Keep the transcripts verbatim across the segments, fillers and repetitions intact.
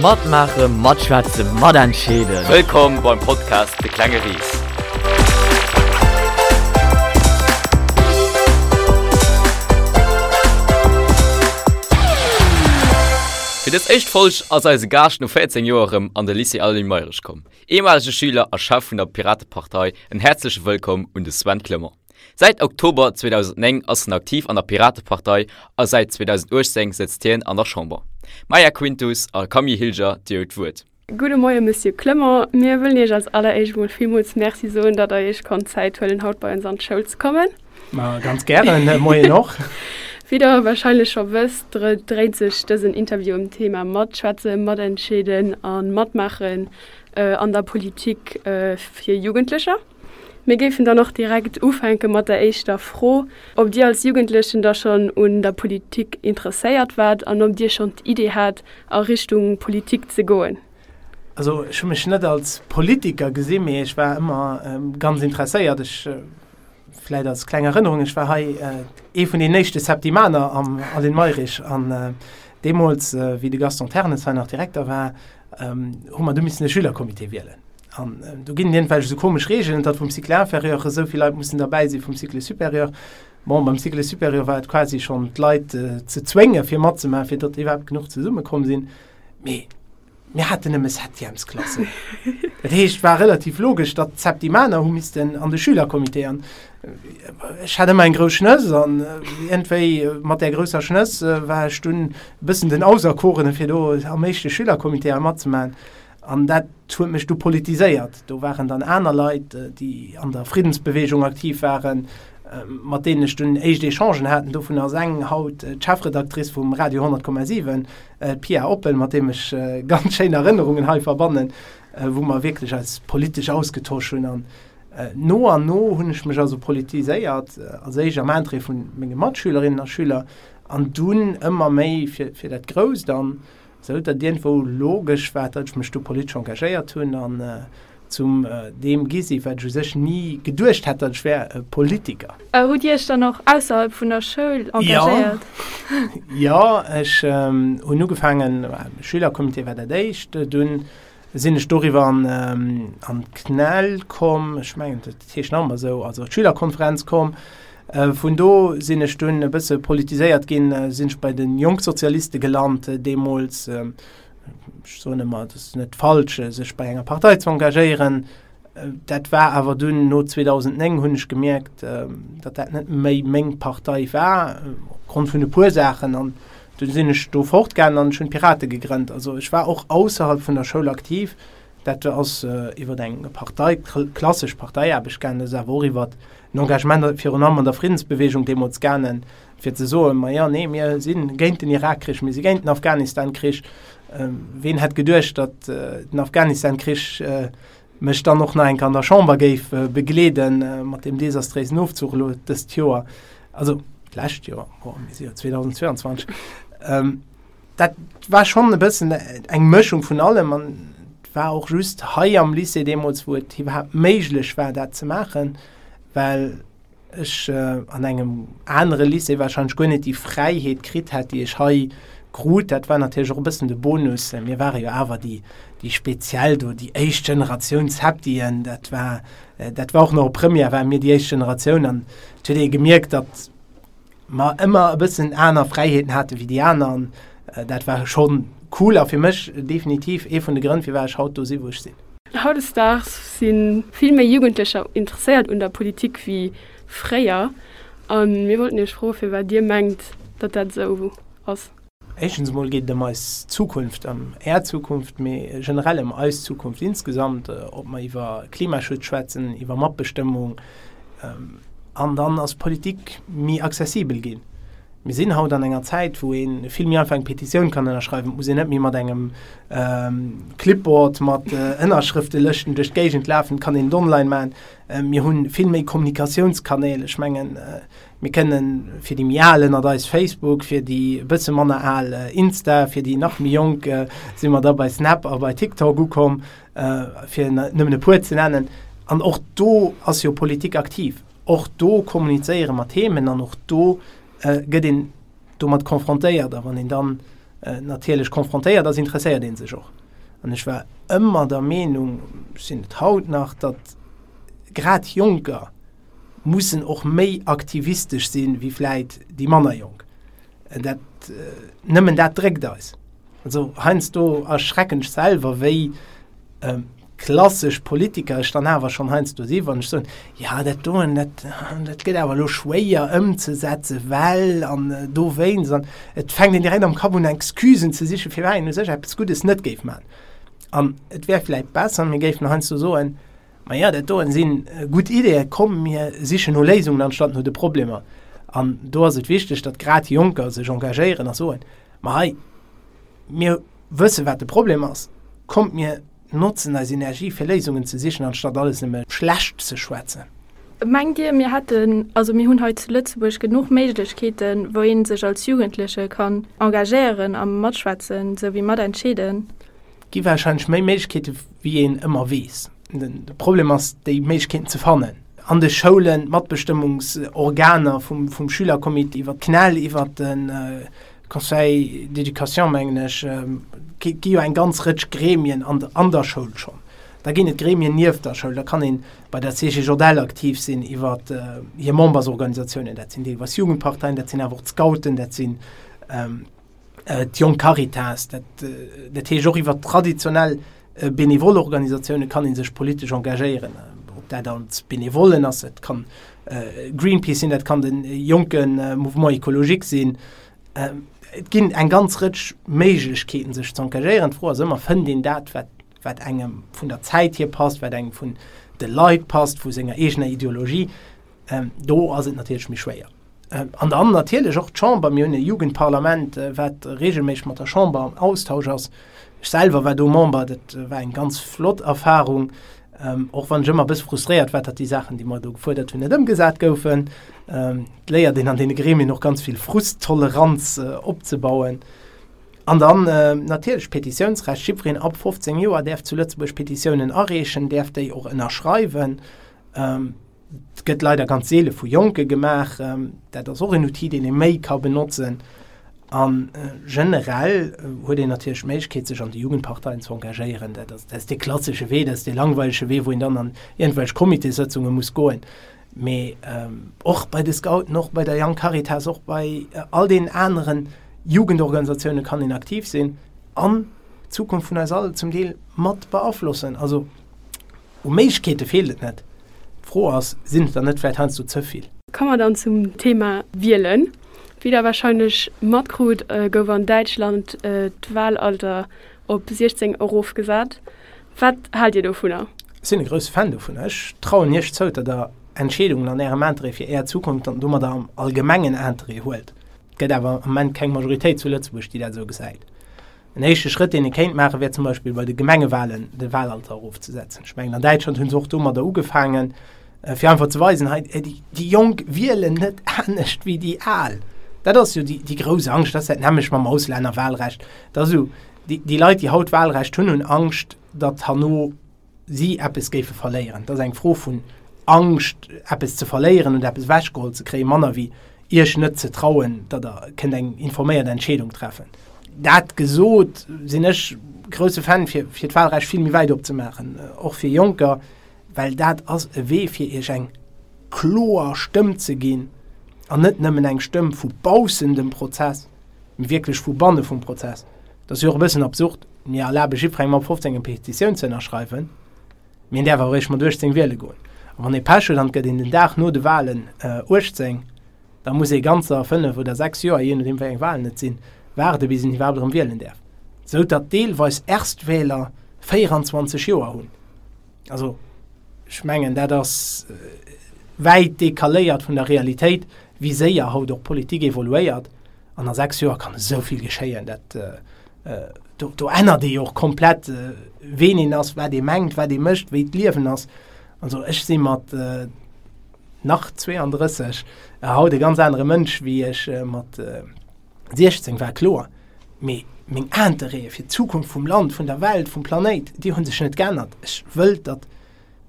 Matmaachen, matschwätzen, matentscheeden. Wëllkomm beim Podcast De klenge Ris. Fir dës éischt Folg ass eise Gaascht no véierzéng Joer erëm an de Lycée Aline Mayrisch komm. Ehemalige Schüler a Chef vun der Piratepartei, en häerzleche Wëllkomm un de Sven Clement. Säit Oktober zweedausendnéng ass en aktiv an der Piratepartei a säit zweedausenduechtzéng sëtzt hien an der Chamber. Maya Quintus a Camille Hilger, Dir hutt d'Wuert. Gudde Moie Monsieur Clement, mir wëllen Iech als alleréischt emol villmools Merci soen, datt Der Iech konnt Zäit huelen haut bei ons an d'Schoul ze kommen. Ma ganz gären, Moien och. Wéi Der warscheinlech scho wësst, dréint sech dësen Interview ëm d'Thema Matschwätzen, Matentscheeden a Matmaachen an der Politik fir Jugendlecher. Mir géifen dann och direkt ufänke mat der éischter Fro, ob Dir als Jugendlechen da schonn un der Politik interesséiert waart an ob Dir schonn d'Idee hat, a Richtung Politik ze goen. Also ech hu mech net als Politiker gesinn, mee ech war ëmmer ganz interesséiert. Ech, vläit als kleng Erënnerung, ech war hei ee vun den éischte Septimaner am Aline Mayrisch an deemools, wéi de Gaston Ternes hei nach Direkter war, hu mer du missen e Schülercomité wielen. An do ginn et iergendwelch esou komesch Regeln, datt vum Cycle inférieur esou vill Leit mussen derbäi si vum Cycle supérieur. Bon, beim Cycle supérieur war et quasi schonn d'Leit ze zwénge fir matzemaachen, fir datt iwwerhaapt genuch zesummekomm sinn. Mee mir haten nëmme Septièmesklassen. Dat heescht, et war relativ logesch, datt d'Septimaner hu missten an de Schülercomité. An ech hat ëmmer eng grouss Schnëss an iergendwéi mat där grousser Schnëss war ech dunn e bëssen den Auserkorene fir do am éischte Schülercomité hei matzemaachen. An dat huet mech du politiséiert. Do waren dann aner Leit, déi an der Friddensbewegung aktiv waren, mat deenen ech dunn éischt Echangen haten. Dovun ass eng haut d'Chefredactrice vum Radio honnert Komma siwen, d'Pia Oppel, mat deem ech ganz schéin Erënnerungen hei verbannen, wou mer wierklech eis politesch ausgetosch hunn. An no an no hunn ech mech also politiséiert, als éischt am Interêt vu menge Matschülerinnen a Schüler an dunn ëmmer méi fir dat Grousst. An Sou datt iergendwou logesch war, datt ech mech do politesch engagéiert hunn an zum deem gi si wat ech u sech ni geduecht hätt, datt ech wär, e Politiker. Hutt Dir Iech dann och ausserhalb vun der Schoul engagéiert? Jo, ech hunn ugefaangen, Schülercomité war dat éischt, dunn sinn ech doriwwer an d'CNEL komm, ech mengen dat heescht nach ëmmer esou, also d'Schülerkonferenz komm. Vun do sinn ech dunn e bësse politiséiert ginn, sinn ech bei de Jongsozialiste gelant deemools. Ech soen ëmmer, et ass net falsch, sech bei enger Partei ze engagéieren. Dat war awer dunn no zweedausendnéng hunn ech gemierkt, datt dat net méi meng Partei war, opgrond vun e puer Saachen. An dunn sinn ech do fortgaangen an ech hunn d'Pirate gegrënnt. Also ech war och ausserhalb vun der Schoul aktiv. Dat ass iwwer eng Partei, klassesch Parteiaarbecht gaangen, dat ass awer och iwwer en Engagement virun allem an der Friddensbewegung deemools gaangen, fir ze soen, ma jo, nee, mir si géint den Irakkrich, mir si géint den Afghanistankrich. Ween hätt geduecht, datt den Afghanistankrich mech dann och nach eng Kéier an der Chamber géif begleeden, mat deem desastréisen Ofzuch elo dëst Joer, also d'lescht Joer, bon, mir si jo zweedausendzweianzwanzeg. Dat war schonn e bëssen eng Mëschung vun allem an et war och just hei am Lycée deemools, wou et iwwerhaapt méiglech war, dat ze maachen, well ech an engem anere Lycée warscheinlech guer net déi Fräiheet kritt hätt, déi ech hei krut. Dat war natierlech och e bëssen de Bonus. Mir ware jo awer déi, déi speziell do, déi éischt Generatioun Septien. Dat war, dat war och nach op Première, ware mir déi éischt Generatioun an et huet ee gemierkt, datt mer ëmmer e bëssen aner Fräiheeten hate wéi déi aner an dat war schonn cool a fir mech definitiv ee vun de Grënn, firwat ech haut do si wou ech sinn. Hautdesdaags si vill méi Jugendlecher interesséiert un der Politik wéi fréier a mir wollten Iech froe firwat Dir mengt, datt dat esou ass. Éischtens emol geet et ëm eis Zukunft, ëm Är Zukunft, mee generell ëm eis Zukunft insgesamt, ob mer iwwer Klimaschutz schwätzen, iwwer Matbestëmmung. An dann ass Politik méi accessibel ginn. Mir sinn haut an enger Zäit, wou ee vill méi einfach eng Petitioun kann ënnerschreiwen. Et muss een net méi mat engem Clipboard mat Ënnerschrëftelëschten duerch d'Géigend lafen, et kann een et online maachen. Mir hu vill méi Kommunikatiounskanäl. Ech mengen, mir kënnen fir déi méi Al ënnert eis Facebook, fir déi e bësse manner Al Insta, fir déi nach méi Jonk si mer da bei Snap a bei TikTok ukomm, fir nëmmen e puer ze nennen. An och do ass jo Politik aktiv. Och do kommunizéiere mer Themen an och do gëtt een domat confrontéiert. A wann een dann natierlech konfrontéiert ass, interesséiert ee sech och. An ech war ëmmer der Meenung, sinn et haut nach, datt grad Jonker mussen och méi aktivistesch sinn, wéi vläit déi manner Jonk. Dat, nëmmen dat dréckt eis. Also heiansdo erschrecken ech selwer, wéi klassesch Politiker ech dann awer schonn heiansdo si wann ech soen, jo dat doen, dat, dat gëtt awer elo schwéier ëmzesetzen, well an dowéinst. An et fänkt een direkt am Kapp un Excusen ze sichen, firwat een u sech eppes Guddes net géif maachen. An et wär vläicht besser, mir géifen heiansdo soen, ma jo dat doen si gutt Ideeën, komm mir sichen no Léisungen anstatt no de Problemer. An do ass et wichteg, datt grad Jonker sech engagéieren a soen, ma hei, mir wësse wat de Problem ass, kommt mir notzen eis Energie fir Léisungen ze sichen anstatt alles nëmme schlecht ze schwätzen. Mengt Dir mir hätten, also mir hunn hei zu Lëtzebuerg genuch Méiglechkeeten, wou ee sech als Jugendleche kann engagéieren a matschwätzen souwéi matentscheeden? Et gi warscheinlech méi Méiglechkeete wéi een ëmmer weess. De Problem ass déi Méiglechkeeten ze fannen. An de Schoulen, d'Matbestëmmungsorganer vum Schülercomité iwwer d'CNEL, iwwer de Conseil d'éducation, mengen ech, gi jo eng ganz Rëtsch Gremien an der Schoul schonn. Da ginn et Gremien nieft der Schoul, da kann ee bei der C G J L aktiv sinn iwwer hir Membersorganisatiounen, dat sinn deelweis Jugendparteien, dat sinn awer och d'Scouten, dat sinn d'Jonk Caritas, dat dat heescht och iwwer traditionell benevol Organisatioune kann ee sech politesch engagéieren, ob dat als Benevollen ass, et kann Greenpeace sinn, dat kann de jonke Mouvement écologique sinn. Et ginn eng ganz Rëtsch Méiglechkeeten sech ze engagéieren. D'Fro ass ëmmer, fënnt een dat wat wat engem vun der Zäit hier passt, wat engem vun de Leit passt, vu senger eegener Ideologie. Do ass et natierlech méi schwéier. An dann natierlech och d'Chamber, mir hunn e Jugendparlament, wat reegelméisseg mat der Chamber am Austausch ass. Ech selwer war do Member, dat war eng ganz flott Erfarung, och wann ech ëmmer e bësse frustréiert war, datt déi Saachen, déi mer do gefuerdert hunn, net ëmgesat goufen. Et léiert een an deene Gremien och ganz vill Frusttoleranz opzebauen. An dann natierlech d'Petitiounsrecht, jiddwereen ab fofzéng Joer däerf zu Lëtzebuerg Petitiounen areechen, däerf déi och ënnerschreiwen. Et gëtt leider ganz seele vu Jonke gemaach. Dat ass och en Outil, deen ee méi ka benotzen. A generell huet een natierlech d'Méiglechkeet, sech an de Jugendparteien ze engagéieren. Dat ass, dat ass dee klassesche Wee, dat ass dee langweilege Wee, wou een dann an iergendwelch Comitéssëtzunge muss goen. Mee och bei de Scouten, och bei der Young Caritas, och bei all deenen anere Jugendorganisatioune kann een aktiv sinn an d'Zukunft vun eis all zum Deel mat beaflossen. Also u Méiglechkeete feelt et net. D'Fro ass, sinn et der net vläicht heiansdo ze vill? Komme mer dann zum Thema Wielen. Wéi der warscheinlech matkrut, gouf an Däitschland d'Wahlalter op siechzéng erofgesat. Wat haalt Dir dovunner? Ech sinn e grousse Fan dovunner. Ech trauen Iech zou, datt Der Entscheedungen an Ärem Interêt fir Är Zukunft an domadder am allgemengen Interêt huelt. Et gëtt awer am Ament keng Majoritéit zu Lëtzebuerg, déi dat esou gesäit. En éischte Schrëtt, deen ee kéint maachen, wär zum Beispill bei de Gemengewahlen de Wahlalter erofzesetzen. Ech mengen, an Däitschland hu se och domadder ugefaangen, fir einfach ze weisen, hei, déi Jonk wielen net anescht wéi déi Al. Dat ass jo déi grouss Angscht, dat ass dat nämmlecht mam Auslännerwahlrecht. Dat ass esou, déi Leit, déi haut Wahlrecht hunn, hunn Angscht, datt herno si eppes géife verléieren. Dat ass eng Fro vun Angscht, eppes ze verléieren oder eppes ewechgeholl ze kréien, manner wéi Iech net ze trauen, datt Der kënnt eng informéiert Entscheedung treffen. Dat gesot, sinn ech grousse Fan, fir fir d'Wahlrecht vill méi wäit opzemaachen, och fir Jonker, well dat ass e Wee, fir Iech eng kloer Stëmm ze ginn an net nëmmen eng Stëmm vu baussen dem Prozess, mee wierklech vu banne vum Prozess. Dat ass jo och e bëssen absurd, mir erlabe jiddwerengem ab fofzéng eng Petitioun ze ënnerschreiwen, mee en däerf awer eréischt mat uechtzéng wiele goen. A wann ee Pech huet an et gëtt een den Dag no de Wahlen uechtzéng, da muss ee ganzer fënnef oder sechs Joer, jee nodeem wéi eng Wahlen et sinn, waarde bis een iwwerhaapt erëm wielen däerf. Sou datt deelweis Erstwähler véieranzwanzeg Joer hunn. Also ech mengen, dat ass wäit decaléiert vun der Realitéit, wéi séier haut och Politik evoluéiert. An a sechs Joer kann esou vill geschéien, dat do, do ännert ee jo och komplett, ween een ass, wat ee mengt, wat ee mécht, wéi d'Liewen ass. Also ech si mat nach zweeandrësseg haut e ganz anere Mënsch, wéi ech mat siechzéng war, kloer. Mee meng Interêtë fir d'Zukunft vum Land, vun der Welt, vum Planéit, déi hu sech net geännert. Ech wëll, datt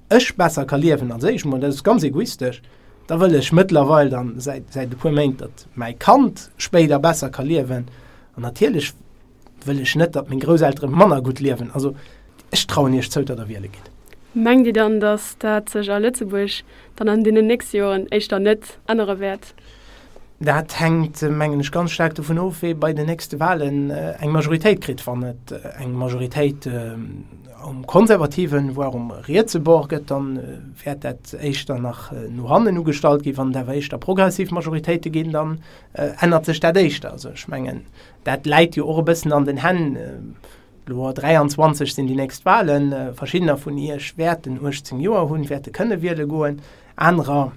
ech besser ka liewen als éischt mol, dat ass ganz egoistesch. Da wëll ech mëttlerweil dann säit, säit e puer Méint, datt mäi Kand spéider besser ka liewen. An natierlech wëll ech net, datt meng Grousseltere manner gutt liewen. Also ech trauen Iech zou, datt Der wiele gitt. Mengt Dir dann, datt dat sech a Lëtzebuerg dann an deenen nächste Joren éischter net ännere wäert? Dat hänkt, mengen ech, ganz staark dovun of, wee bei den nächste Wahlen eng Majoritéit kritt. Wann et eng Majoritéit um konservativen, voire um rietse Bord gëtt, dann wäert dat éischter nach no hannen ugestallt ginn. Wann et awer éischter progressiv Majoritéite ginn, dann ännert sech dat éischter. Also ech mengen, dat läit jo och e bëssen an den Hänn. Elo dräianzwanzeg sinn déi nächst Wahlen. Verschiddener vun Iech wäerten uechtzéng Joer hunn, wäerte kënne wiele goen. Anerer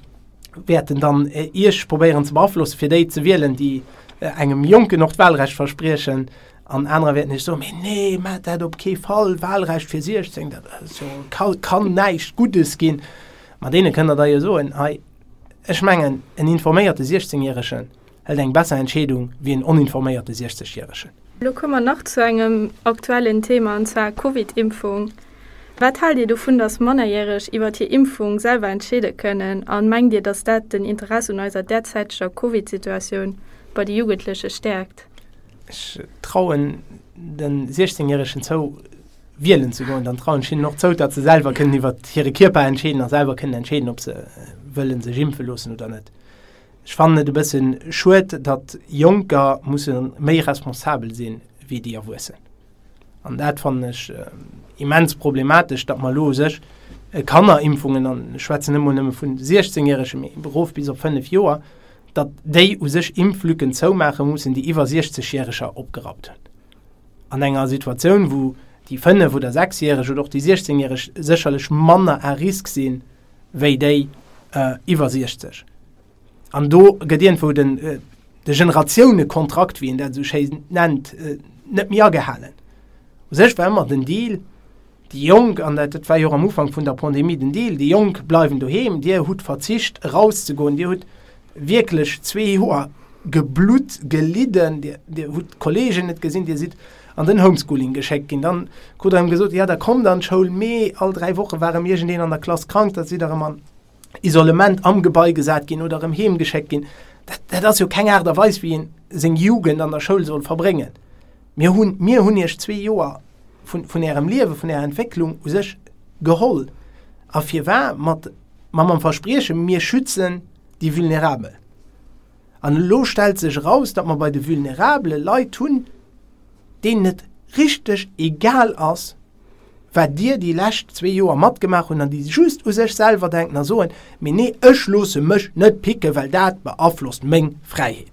wäerten dann Iech probéieren ze beaflossen, fir déi ze wielen, déi engem Jonken och d'Wahlrecht verspriechen. An anerer wäerten Iech soen, Mee nee, maacht dat op kee Fall, Wahlrecht fir siechzéng, dat ass jo, ka kann näischt Guddes ginn. Ma deene kënnt Der da jo soen, hei, ech mengen, en informéierte Siechzéngjäregen hëlt eng besser Entscheedung wéi en oninforméierte Siechzegjäregen. Elo komme mer nach zu engem aktuellen Thema, an zwar Covid-Impfung. Wat haalt Dir dovun, dass Mannerjäreg iwwert hir Impfung selwer entscheede kënnen? A mengt Dir, dass dat den Interesse un eiser derzäiteger Covid-Situatioun bei de Jugendleche stäerkt? Ech trauen de Siechzehnjäregen zou, wielen ze goen. Dann trauen ech hinnen och zou, datt se selwer kënnen iwwert hire Kierper entscheeden a selwer kënnen entscheeden, ob se wëlle sech impfe loossen oder net. Ech fannen et e bësse schued, datt Jonker musse méi responsabel sinn, wéi déi Erwuessen. An dat fannen ech immens problematesch, datt mer elo u sech Kannerimpfungen, an ech schwätzen net emol nëmme vu Siechzehnjäregen, mee erof bis op fënnef Joer, datt déi u sech Impflücken zoumaache mussen, déi iwwer Siechzegjäreger opgerappt hunn. An enger Situatioun, wou déi fënnef oder sechsjäreg oder och déi Siechzehnjäreg sécherlech manner à risque sinn, wéi déi iwwer siechzeg. An do gëtt iergendwou den, de Generatiounekontrakt, wéi een dat esou schéi nennt, net méi agehalen. U sech war ëmmer den Deal, déi Jonk, an dat war jo och am Ufank vun der Pandemie den Deal, déi Jonk bleiwen doheem, Dir hutt verzicht erauszegoen, Dir hutt wierklech zwee Joer geblutt, gelidden, Dir, Dir hutt d'Kolleegen net gesinn, Dir sidd an den Homeschooling geschéckt ginn. Dann krut Der erëm gesot, jo da kommt an d'Schoul, mee all dräi Woche war erëm iergendeen an der Klass krank, da sidd Der erëm an Isolement am Gebai gesat ginn oder erëm heem geschéckt ginn. Dat, dat ass jo keng Aart a Weis, wéi een seng Jugend an der Schoul soll verbréngen. Mir hunn, mir hunn Iech zwee Joer vun, vun Ärem Liewe, vun Ärer Entwécklung u sech geholl. A firwar? Mat, ma mam Versprieche, mir schützen déi Vulnerabel. An elo stellt sech eraus, datt mer bei de Vulnerabele Leit hunn, deenen et richteg egal ass, wat Dir déi lescht zwee Joer matgemaach hunn an déi just u sech selwer denken a soen, Mee nee, ech loosse mech net picken, well dat beaflosst meng Fräiheet.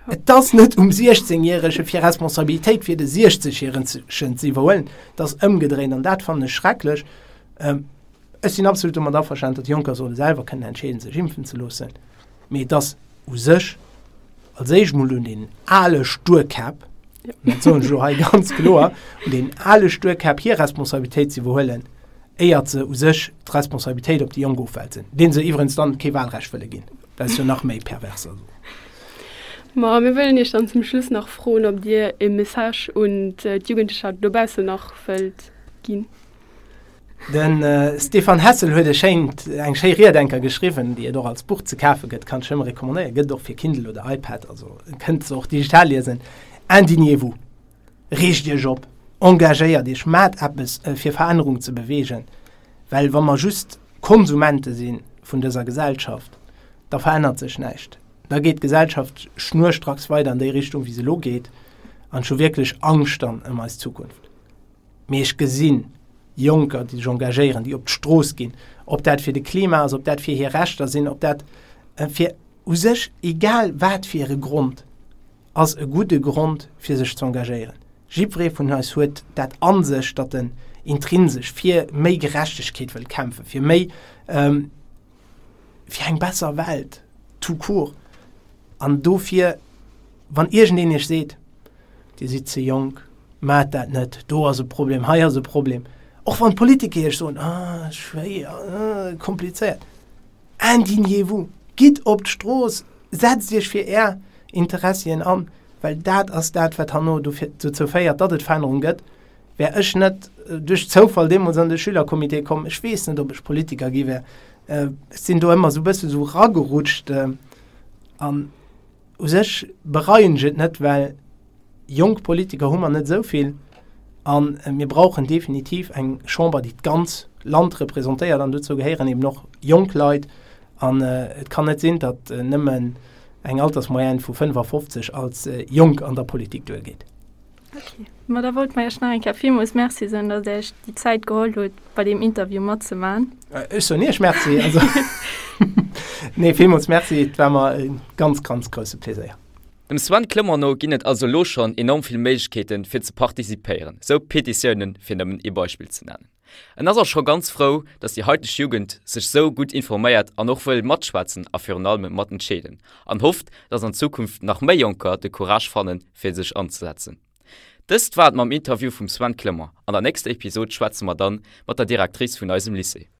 Et ass net um Siechzehnjärege fir Responsabilitéit fir de Siechzegjäregen ze iwwerhuelen, et ass ëmgedréint an dat fannen ech schrecklech. Ech sinn absolut domat averstanen, datt Jonker solle selwer kënnen entscheeden, sech impfen ze loossen, mee et ass u sech als éischt mol un den ale Sturkäpp, dat soen ech elo hei ganz kloer, un den ale Sturkäpp hir Responsabilitéit ze iwwerhuelen, éiert se u sech d'Responsabilitéit op déi Jonk ofwälzen, deenen se iwwerens dann kee Wahlrecht wëlle ginn. Dat ass jo nach méi pervers. Also. Ma mir wëllen Iech dann zum Schluss nach froen, ob Dir e Message un d'Jugendlecher dobaussen nach wëllt ginn. De Stéphane Hessel huet e schéint, eng schéi Ried enker geschriwwen, déi et och als Buch ze kafe gëtt, kann ech nëmme recommandéieren, gëtt et och fir Kindle oder iPad, also kënnt se och digital liesen, Indignez-vous, reegt Iech op, engagéiert Iech, maacht eppes fir Verännerung ze beweegen, well wa mer just Konsumente si vun dëser Gesellschaft, da verännert sech näischt, da geet d'Gesellschaft schnurstracks weider an déi Richtung wéi se elo geet an ech hu wierklech Angscht dann ëm eis Zukunft. Mee ech gesinn Jonker, déi sech engagéieren, déi op d'Strooss ginn, ob dat fir de Klima ass, ob dat fir hir Rechter sinn, ob dat fir u sech egal wat fir e Grond, ass e gudde Grond fir sech ze engagéieren. Jiddweree vun eis huet dat a sech, datt en intrinsesch fir méi Gerechtegkeet wëllt kämpfen, fir méi, fir eng besser Welt tout court. An dofir, wann iergendeen Iech seet, Dir sidd ze jonk, maacht dat net, do ass e Problem, hei ass e Problem, och wann d'Politiker Iech soen, ah, schwéier, ah, komplizéiert, indignez-vous, gitt op d'Strooss, setzt Iech fir Är Interessien an, well dat ass dat, wat herno dofir, dozou féiert, datt et Verännerung gëtt. Wär ech net duerch Zoufall deemools an de Schülercomité komm, ech weess net, ob ech Politiker gi wär. Ech sinn do ëmmer esou e bësse sou ragerutscht an u sech bereien ech et net, well Jonk Politiker hu mer net esou vill a mir brauchen definitiv eng Chamber, déi d'ganz Land representéiert an dozou gehéieren eben och jonk Leit. An et kann net sinn, datt nëmmen eng Altersmoyenne vu fënnefafofzeg als jonk an der Politik duergeet. Ok, ma da wollt mer Iech nach eng Kéier villmools Merci soen, datt Dir Iech déi Zäit geholl hutt, bei deem Interview matzemaachen. Ech soen Iech Merci. Also, nee, villmools Merci, et war mer e ganz, ganz grousse Pleséier. Dem Sven Clement no ginn et also elo schonn enorm vill Méiglechkeeten, fir ze participéieren, sou Petitiounen, fir nëmmen ee Beispill ze nennen. En ass och scho ganz frou, datt déi haiteg Jugend sech sou gutt informéiert an och wëll matschwätzen a virun allem matentscheeden, an hofft, datt an Zukunft nach méi Jonker de Courage fannen, fir sech anzesetzen. Dëst war et mam Interview vum Sven Clement. An der nächster Episod schwätze mer dann mat der Directrice vun eisem Lycée.